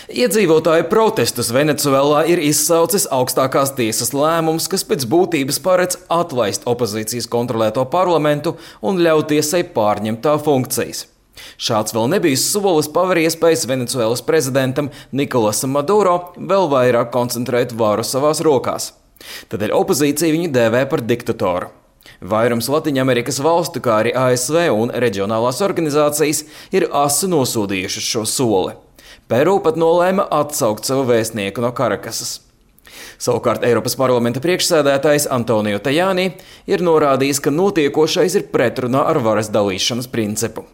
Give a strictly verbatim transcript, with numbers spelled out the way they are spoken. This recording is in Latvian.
Iedzīvotāju protestus Venecuēlā ir izsaucis augstākās tiesas lēmums, kas pēc būtības paredz atlaist opozīcijas kontrolēto parlamentu un ļaut tiesai pārņemt tā funkcijas. Šāds vēl nebijis solis paver iespējas Venecuēlas prezidentam Nikolasam Maduro vēl vairāk koncentrēt varu savās rokās. Tādēļ opozīcija viņu dēvē par diktatoru. Vairums Latviņamerikas valstu, kā arī A S V un reģionālās organizācijas, ir asi nosodījušas šo soli. Peru pat nolēma atsaukt savu vēstnieku no Karakasas. Savukārt Eiropas parlamenta priekšsēdētājs Antonio Tajani ir norādījis, ka notiekošais ir pretrunā ar varas dalīšanas principu.